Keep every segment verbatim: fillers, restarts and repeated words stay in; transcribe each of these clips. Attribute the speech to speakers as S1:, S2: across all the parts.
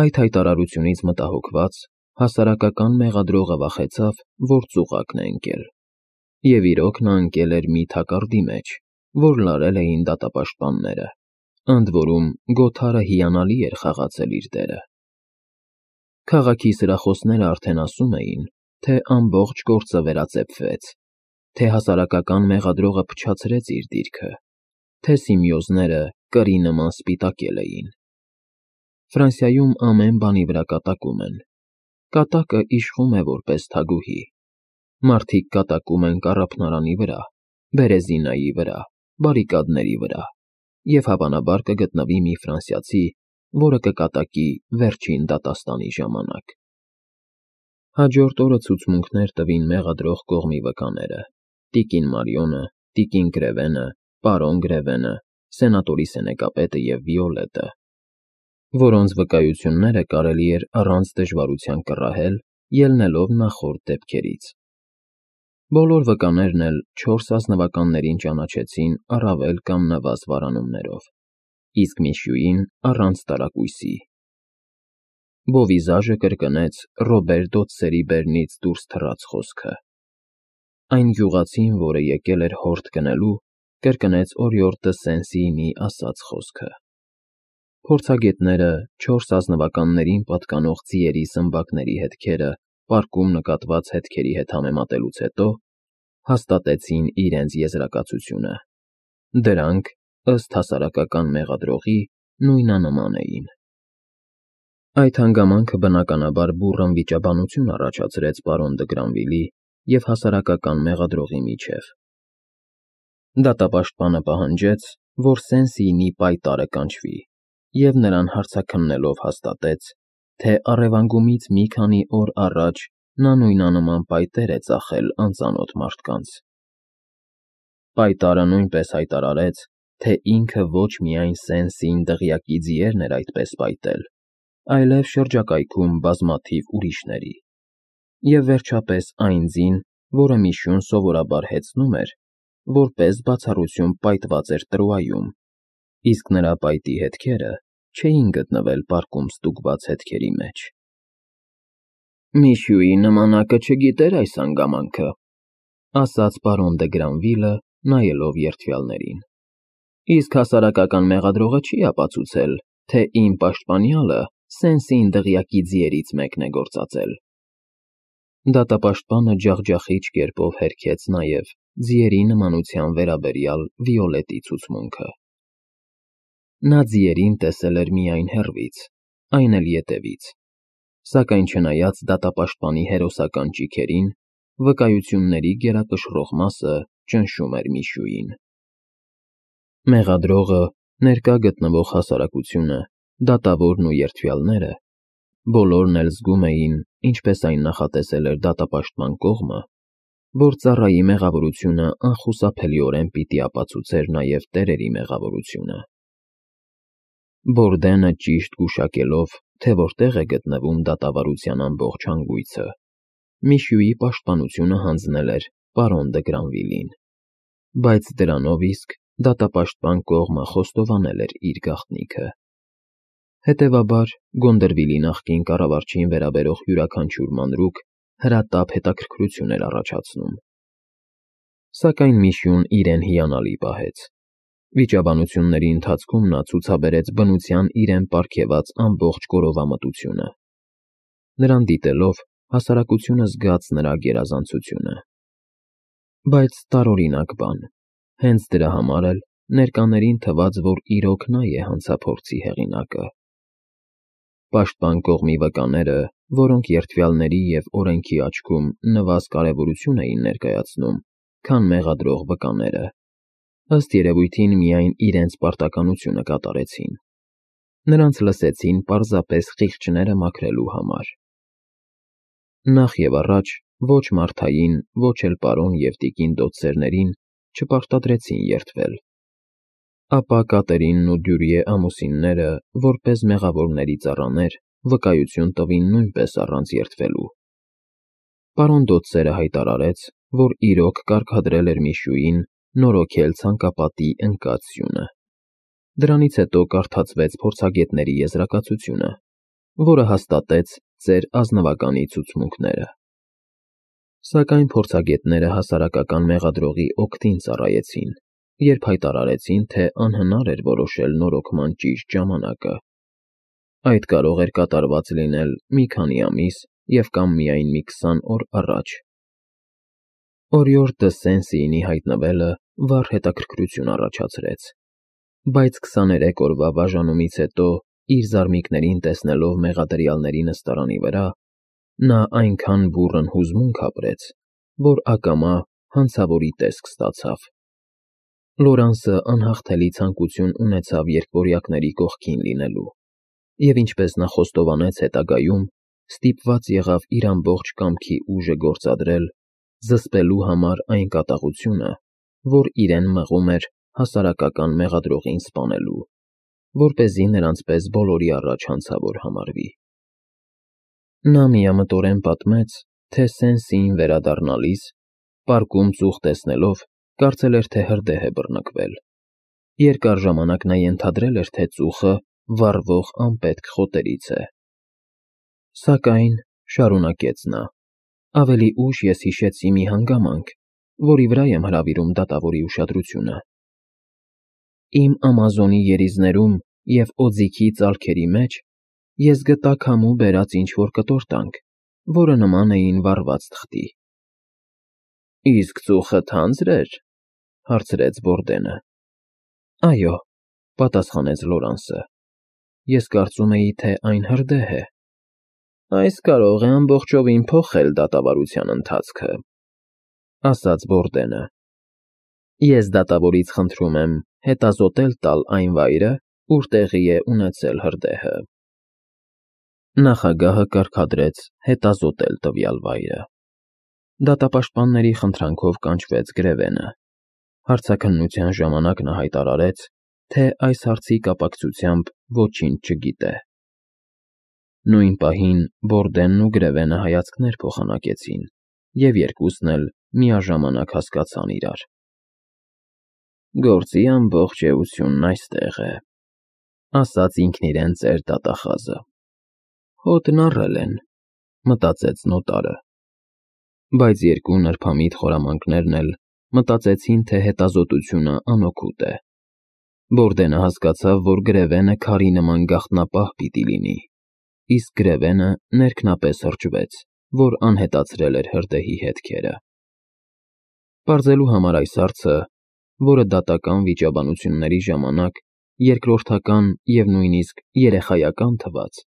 S1: Այդ հայտարարությունից մտահոգված, հասարակական մեղադրողը վախեցավ, որ ծուղակն է ընկել։ Եվ իրոք նա ընկել էր մի թակարդի մեջ, որ լարել էին դատապաշտպանները, ընդ որում Գոթարը հիանալի էր խաղացել իր դերը։ Քաղաքի սրախոսները արդեն ասում էին, թե ամբողջ գործը վերածեփվեց, թե հասարակական մեղադրողը փչացրեց իր դիրքը, թե սիմիոզները կրի նման սպիտակել էին։ Ֆրանսիայում ամեն բանի վրա կատակում են։ Կատակը իշխում է որպես թագուհի։ Մարդիկ կատակում են կառափնարանի վրա, բերեզինայի վրա, բարիկադների վրա, և հավանաբար կգտնվի մի ֆրանսիացի, որը կկատակի վերջին դատաստանի ժամանակ։ Հաջորդ օրը ցուցմունքներ տվին մեղադրող կողմի վկաները՝ տիկին Մարիոնը, տիկին Գրևենը, պարոն Գրևենը, սենատորի սենեկապետը և Վիոլետը, որոնց վկայությունները կարելի էր առանց դժվարության կռահել՝ ելնելով նախորդ դեպքերից։ Բոլոր վկաներն էլ չորս ազնվականներին ճանաչեցին առավել կամ նվազ վարանումներով, իսկ Միշյուին առանց տարակույսի։ Բովիզաժը կրկնեց Ռոբեր Դոդսերի բերնից դուրս թռած խոսքը։ Այն գյուղացին, որը եկել էր հորդ գնելու, կրկնեց օրիորդ դը Սեն֊Սիինի ասած խոսքը։ Փորձագետները չորս ազնվականներին պատկանող ձիերի սմբակների հետքերը պարկում նկատված հետքերի հետ համեմատելուց հետո հաստատեցին իրենց եզրակացությունը։ Դրանք, ըստ հասարակական մեղադրողի, նույնանման էին։ Այդ հանգամանքը բնականաբար բուռն վիճաբանություն առաջացրեց պարոն դը Գրանվիլի և հասարակական մեղադրողի միջև։ Դատապաշտպանը պահանջեց, որ Սեն֊Սիինի պայտառը կանչվի, և նրան հարցաքննելով հաստատեց, թե առևանգումից մի քանի օր առաջ նա նույնանման պայտեր է ծախել անծանոթ մարդկանց։ Պայտառը նույնպես հայտարարեց, թե ինքը ոչ միայն Սեն֊Սիին դղյակի ձիերն էր այդպես պայտել, այլև շրջակայքում բազմաթիվ ուրիշների, և վերջապես այն ձին, որը Միշյուն սովորաբար հեծնում էր, որպես բացառություն պայտված էր Տրուայում, իսկ նրա պայտի հետքերը չէին գտնվել պարկում ստուգված հետքերի մեջ։ «Միշյուի նմանակը չգիտեր այս հանգամանքը», ասաց պարոն դը Գրանվիլը, նայելով երդվյալներին, «իսկ հասարակական մեղադրողը չի ապացուցել, թե իմ պաշտպանյալը Սեն֊Սիին դղյակի ձիերից մեկն է գործածել»։ Դատապաշտպանը ջախջախիչ կերպով հերքեց նաև ձիերի նմանության վերաբերյալ Վիոլետի ցուցմունքը։ Նա ձիերին տեսել էր միայն հեռվից, այն էլ ետևից, սակայն չնայած դատապաշտպանի հերոսական ճիգերին, վկայությունների գերակշռող մասը ճնշում էր Միշյուին։ Մեղադրողը, ներկա գտնվող հասարակությունը, դատավորն ու երդվյալները բոլորն էլ զգում էին, ինչպես այն նախատեսել էր դատապաշտպան կողմը, որ ծառայի մեղավորությունը անխուսափելիորեն պիտի ապացուցեր նաև տերերի մեղավորությունը։ Բորդենը ճիշտ գուշակելով, թե որտեղ է գտնվում դատավարության ամբողջ հանգույցը, Միշյուի պաշտպանությունը հանձնել էր պարոն դը Գրանվիլին, բայց դրանով իսկ դատապաշտպան կողմը խոստովանել էր իր գաղտնիքը։ Հետևաբար, Գոնդրվիլի նախկին կառավարչին վերաբերող յուրաքանչյուր մանրուք հրատապ հետաքրքրություն էր առաջացնում։ Սակայն Միշյուն իրեն հիանալի պահեց։ Վիճաբանությունների ընթացքում նա ցուցաբերեց բնության իրեն պարգևած ամբողջ գորովամտությունը։ Նրան դիտելով հասարակությունը զգաց նրա գերազանցությունը։ Բայց տարօրինակ բան, հենց դրա համար էլ ներկաներին թվաց, որ իրոք նա է հանցափորձի հեղինակը։ Պաշտպան կողմի վկաները, որոնք երդվյալների և օրենքի աչքում նվազ կարևորություն էին ներկայացնում, քան մեղադրող վկաները, ըստ երևույթին միայն իրենց պարտականությունը կատարեցին։ Նրանց լսեցին պարզապես խիղճները մաքրելու համար։ Նախ և առաջ ոչ Մարթային, ոչ էլ պարոն և տիկին Դոդսերներին չպարտադրեցին երդվել։ Ապա Կատերինն ու Դյուրիե ամուսինները, որպես մեղավորների ծառաներ, վկայություն տվին նույնպես առանց երդվելու։ Պարոն Դոդսերը հայտարարեց, որ իրոք կարգադրել էր Միշյուին նորոգել ցանկապատի ընկած սյունը։ Դրանից հետո կարդացվեց փորձագետների եզրակացությունը, որը հաստատեց ձեր ազնվականի ցուցմունքները։ Սակայն փորձագետները հասարակական մեղադրողի օգտին ծառայեցին, երբ հայտարարեցին, թե անհնար էր որոշել նորոգման ճիշտ ժամանակը։ Այդ կարող էր կատարված լինել մի քանի ամիս և կամ միայն մի քսան օր առաջ։ Օրիորդ դը Սեն-Սիինի հայտնվելը վառ հետաքրքրություն առաջացրեց, բայց քսաներեք օրվա բաժանումից հետո, իր զարմիկներին տեսնելով մեղադրյալների նստարանի վրա, նա այնքան բուռն հուզմունք ապրեց, որ ակամա հանցավորի տեսք ստացավ։ Լորանսը անհաղթելի ցանկություն ունեցավ երկվորյակների կողքին լինելու, և ինչպես նա խոստովանեց հետագայում, ստիպված եղավ իր ամբողջ կամքի ուժը գործադրել, զսպելու համար այն կատաղությունը, որ իրեն մղում էր հասարակական մեղադրողին սպանելու, որպեսզի նրանց պես բոլորի առաջ հանցավոր համարվի։ Նա միամտորեն պատմեց, թե Սեն-Սիին վերադառնալիս, պարկում ծուխ տեսնելով, կարծել էր, թե հրդեհ է բռնկվել։ Երկար ժամանակ նա ենթադրել էր, թե ծուխը վառվող անպետք խոտերից է։ Սակայն, շարունակեց նա, ավելի ուշ ես հիշեցի մի հանգամանք, որի վրա եմ հրավիրում դատավորի ուշադրությունը։ Իմ Ամազոնի երիզներում և օձիքի ծալքերի մեջ ես գտա քամու բերած ինչ-որ կտորտանք, որը նման էին վառված թղթի։ ֊ Իսկ ծուխը թանձր էր,֊ հարցրեց Բորդենը։ ֊ Այո,֊ պատասխանեց Լորանսը,֊ ես կարծում էի, թե այն հրդեհ է։ ֊ Այս կարող է ամբողջովին փոխել դատավարության ընթացքը,֊ ասաց Բորդենը։ Ես դատավորից խնդրում եմ հետազոտել տալ այն վայրը, ուր տեղի է ունեցել հրդեհը։ Նախագահը կարգադրեց հետազոտել տվյալ վայրը։ Դատապաշտպանների խնդրանքով կանչվեց Գրևենը։ Հարցաքննության ժամանակ նա հայտարարեց, թե այս հարցի կապակցությամբ ոչինչ չգիտե։ Նույն պահին Բորդենն ու Գրևենը հայացքներ փոխանակեցին, և երկուսն էլ միաժամանակ հասկացան իրար։ «Գործի ամբողջ էությունն այստեղ է,֊ ասաց ինքն իրեն ծեր դատախազը։ Հոտն առել են,֊ մտածեց նոտարը։ Բայց երկու նրբամիտ խորամանկներն էլ մտածեցին, թե հետազոտությունը անօգուտ է։ Բորդենը հասկացավ, որ Գրևենը քարի նման գաղտնապահ պիտի լինի, իսկ Գրևենը ներքնապես հրճվեց, որ անհետացրել էր հրդեհի հետքերը։ Պարզելու համար այս հարցը, որը դատական վիճաբանությունների ժամանակ երկրորդական և նույնիսկ երեխայական թվաց,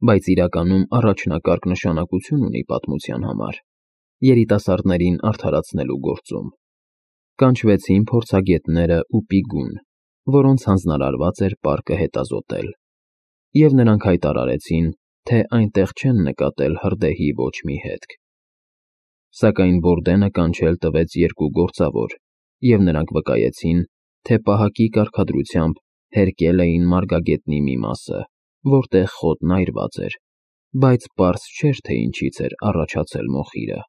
S1: բայց իրականում առաջնակարգ նշանակություն ունի պատմության համար, երիտասարդներին արդարացնելու գործում, կանչվեցին փորձագետները ու պիգուն, որոնց հանձնարարված էր պարկը հետազոտել, և նրանք հայտարարեցին, թե այնտեղ չեն նկատել հրդեհի ոչ մի հետք։ Սակայն Բորդենը կանչել տվեց երկու գործավոր, և նրանք վկայեցին, թե պահակի կարգադրությամբ հերկել էին մարգագետնի մի մասը, որտեղ խոտն այրված էր, բայց պարզ չէր, թե ինչից էր առաջացել մոխիրը։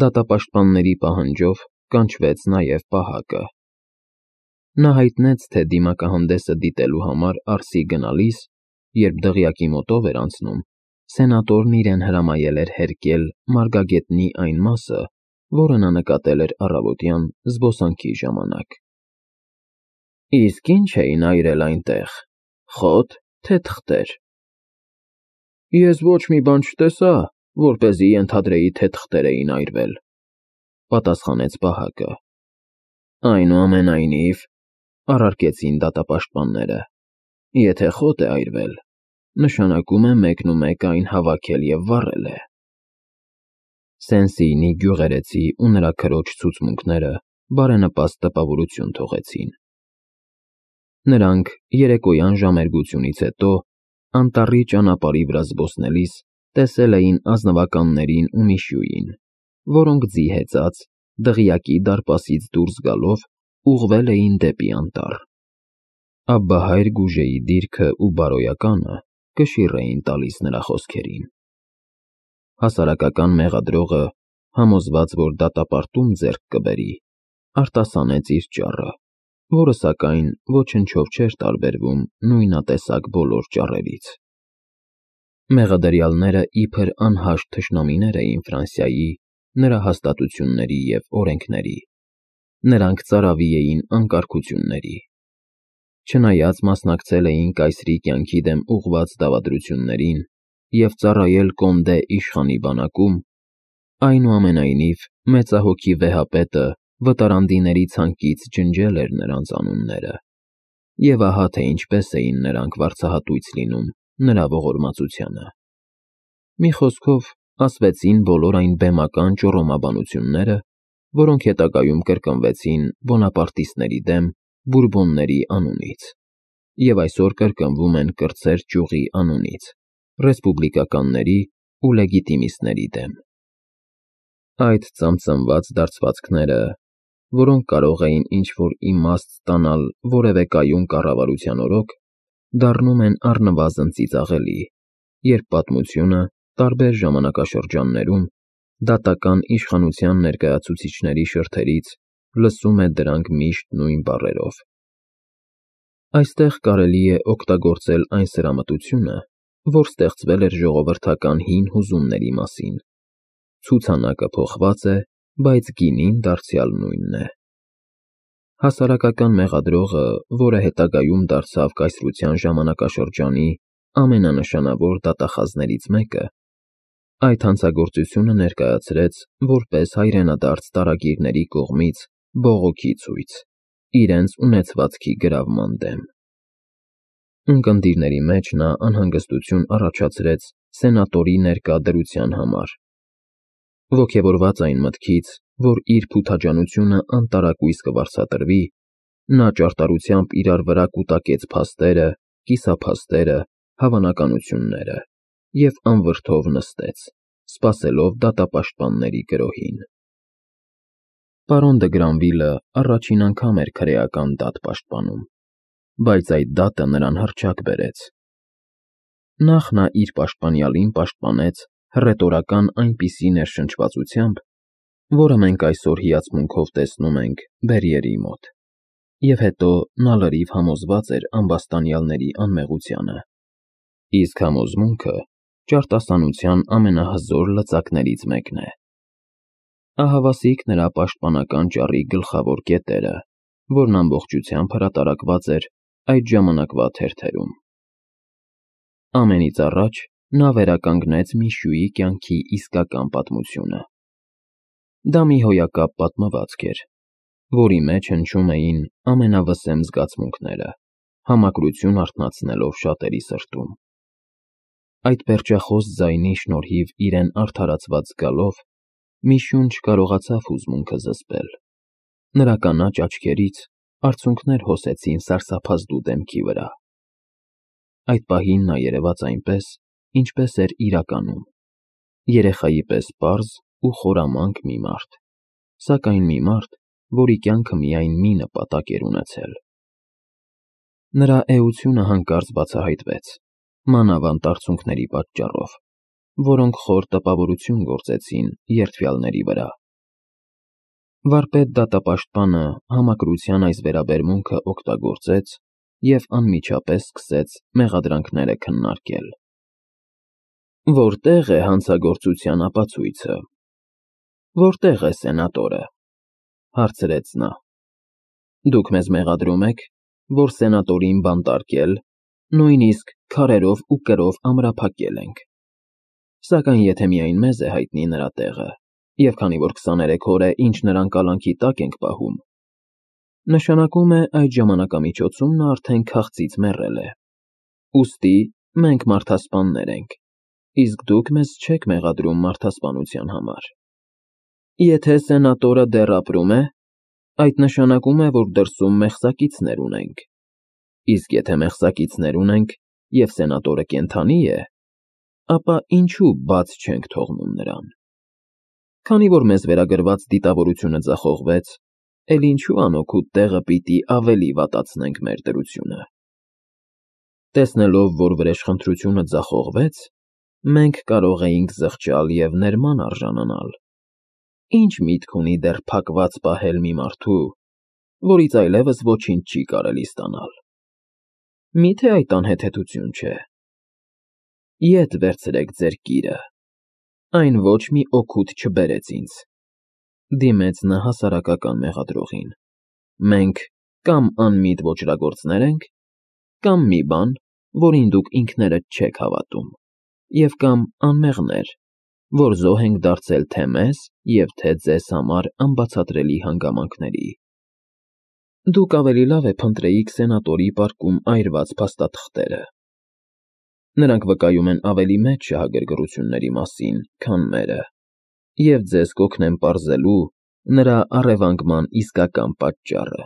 S1: Դատապաշտպանների պահանջով կանչվեց նաև պահակը։ Նա հայտնեց, թե դիմակահանդեսը դիտելու համար Արսի գնալիս, երբ դղյակի մոտով էր անցնում, սենատորն իրեն հրամայել էր հերկել մարգագետնի այն մասը, որը նա նկատել էր առավոտյան զբոսանքի ժամանակ։ ֊ Իսկ ի՞նչ էին այրել այնտեղ, խո՞տ, թե թղթեր։ ֊ Ես ոչ մի բան չտեսա, որպեսզի ենթադրեի, թե թղթեր էին այրվել,֊ պատասխանեց պահակը։ ֊ Այնուամենայնիվ,֊ առարկեցին դատապաշտպանները,֊ եթե խոտ է այրվել, նշանակում է մեկնումեկ այն հավաքել և վառել է։ Սեն-Սիինի գյուղերեցի ու նրա քրոջ ցուցմունքները բարենպաստ տպավորություն թողեցին։ Նրանք երեկոյան ժամերգությունից հետո անտառի ճանապարհի վրա զբոսնելիս տեսել էին ազնվականներին ու Միշյուին, որոնք ձի հեծած, դղյակի դարպասից դուրս գալով, ուղղվել էին դեպի անտառ։ Աբբահայր Գուժեի դիրքը ու բարոյականը կշիռ էին տալիս նրա խոսքերին։ Հասարակական մեղադրողը, համոզված, որ դատապարտում ձեռք կբերի, արտասանեց իր ճառը, որը, սակայն, ոչնչով չէր տարբերվում նույնատեսակ բոլոր ճառերից։ Մեղադրյալները իբր անհաշտ թշնամիներ էին Ֆրանսիայի, նրա հաստատությունների և օրենքների, նրանք ծարավի էին անկարգությունների։ Չնայած մասնակցել էին կայսրի կյանքի դեմ ուղղված դավադրություններին և ծառայել Կոնդե իշխանի բանակում, այնուամենայնիվ մեծահոգի վեհապետը վտարանդիների ցանկից ջնջել էր նրանց անունները, և ահա թե ինչպես էին նրանք վարձահատույց լինում նրա ողորմածությանը։ Մի խոսքով, ասվեցին բոլոր այն բեմական ճոռոմաբանությունները, որոնք հետագայում կրկնվեցին բոնապարտիստների դեմ բուրբոնների անունից և այսօր կրկնվում են կրտսեր ճյուղի անունից ռեսպուբլիկականների ու լեգիտիմիստների դեմ։ Այդ ծամծամված դարձվածքները, որոնք կարող էին ինչ-որ իմաստ ստանալ որևէ կայուն կառավարության օրոք, դառնում են առնվազն ծիծաղելի, երբ պատմությունը տարբեր ժամանակաշրջաններում դատական իշխանության ներկայացուցիչների շրթերից լսում է դրանք միշտ նույն բառերով։ Այստեղ կարելի է օգտագործել այն սրամտությունը, որ ստեղծվել էր ժողովրդական հին հուզումների մասին. ցուցանակը փոխված է, բայց գինին դարձյալ նույնն է։ Հասարակական մեղադրողը, որը հետագայում դարձավ կայսրության ժամանակաշրջանի ամենանշանավոր դատախազներից մեկը, այդ հանցագործությունը ներկայացրեց որպես հայրենադարձ տարագիրների կողմից բողոքի ցույց իրենց ունեցվածքի գրավման դեմ։ Ունկնդիրների մեջ նա անհանգստություն առաջացրեց սենատորի ներկա դրության համար։ Ոգևորված այն մտքից, որ իր փութաջանությունը անտարակույս կվարձատրվի, նա ճարտարությամբ իրար վրա կուտակեց փաստերը, կիսափաստերը, հավանականությունները և անվրդով նստեց, սպասելով դատապաշտպանների գրոհին։ Պարոն Դը Գրանվիլը առաջին անգամ էր քրեական դատ պաշտպանում, բայց այդ դատը նրան հռչակ բերեց։ Նախ նա իր պաշտպանյալին պաշտպանեց հռետորական այնպիսի ներշնչվածությամբ, որը մենք այսօր հիացմունքով տեսնում ենք Բերիերի մոտ, և հետո նա լրիվ համոզված էր ամբաստանյալների անմեղությանը, իսկ համոզմունքը ճարտասանության ամենահզոր լծակներից մեկն է։ Ահավասիկ նրա պաշտպանական ճառի գլխավոր կետերը, որն ամբողջությամբ հրատարակված էր այդ ժամանակվա թերթերում։ Ամենից առաջ նա վերականգնեց Միշուի կյանքի իսկական պատմությունը։ Դա մի հոյակապ պատմվածք էր, որի մեջ հնչում էին ամենավսեմ զգացմունքները, համակրություն արթնացնելով շատերի սրտում։ Այդ պերճախոս ձայնի շնորհիվ իրեն արդարացված զգալով, Միշուն չկարողացավ հուզմունքը զսպել։ Նրա կանաչ աչքերից արցունքներ հոսեցին սարսափազդու դեմքի վրա։ Այդ պահին նա երևաց այնպես, ինչպես էր իրականում, երեխայի պես պարզ ու խորամանկ մի մարդ, սակայն մի մարդ, որի կյանքը միայն մի նպատակ էր ունեցել։ Նրա էությունը հանկարծ բացահայտվեց, մանավանդ արցունքների պատճառով, որոնք խոր տպավորություն գործեցին երդվյալների վրա։ Վարպետ դատապաշտպանը համակրության այս վերաբերմունքը օգտագործեց և անմիջապես սկսեց մեղադրանքները քննարկել։ Որտե՞ղ է հանցագործության ապացույցը։ Որտե՞ղ է սենատորը, հարցրեց նա։ Դուք մեզ մեղադրում եք, որ սենատորին բանտարկել, նույնիսկ քարերով ու կրով ամրափակել ենք, սակայն եթե միայն մեզ է հայտնի նրա տեղը, և քանի որ քսաներեք օր է, ինչ նրան կալանքի տակ ենք պահում, նշանակում է այդ ժամանակամիջոցում նա արդեն քաղցից մեռել է, ուստի մենք մարդասպաններ ենք, իսկ դուք մեզ չեք մեղադրում մարդասպանության համար։ Եթե սենատորը դեռ ապրում է, այդ նշանակում է, որ դրսում մեղսակիցներ ունենք, իսկ եթե մեղսակիցներ ունենք, և սենատորը կենդանի է, ապա ինչու բաց չենք թողնում նրան։ Քանի որ մեզ վերագրված դիտավորությունը ձախողվեց, էլ ինչու անօգուտ տեղը պիտի ավելի վատացնենք մեր դրությունը։ Տեսնելով, որ վրեժխնդրությունը ձախողվեց, մենք կարող էինք զղջալ և ներման արժանանալ։ Ինչ միտք ունի դեռ փակված պահել մի մարդու, որից այլևս ոչինչ չի կարելի ստանալ։ Մի՞թե այդ անհեթեթություն չէ։ Ետ վերցրեք ձեր կիրը, այն ոչ մի օգուտ չբերեց ինձ, դիմեց նա հասարակական մեղադրողին, մենք կամ անմիտ ոճրագործներ ենք, կամ մի բան, որին դուք ինքներդ չեք հավատում, և կամ անմեղներ, որ զոհ ենք դարձել թե մեզ և թե ձեզ համար անբացատրելի հանգամանքների։ Դուք ավելի լավ է փնտրեիք սենատորի պարկում այրված փաստաթղթերը. նրանք վկայում են ավելի մեծ շահագրգռությունների մասին, քան մերը, և ձեզ կօգնեն պարզելու նրա առևանգման իսկական պատճառը։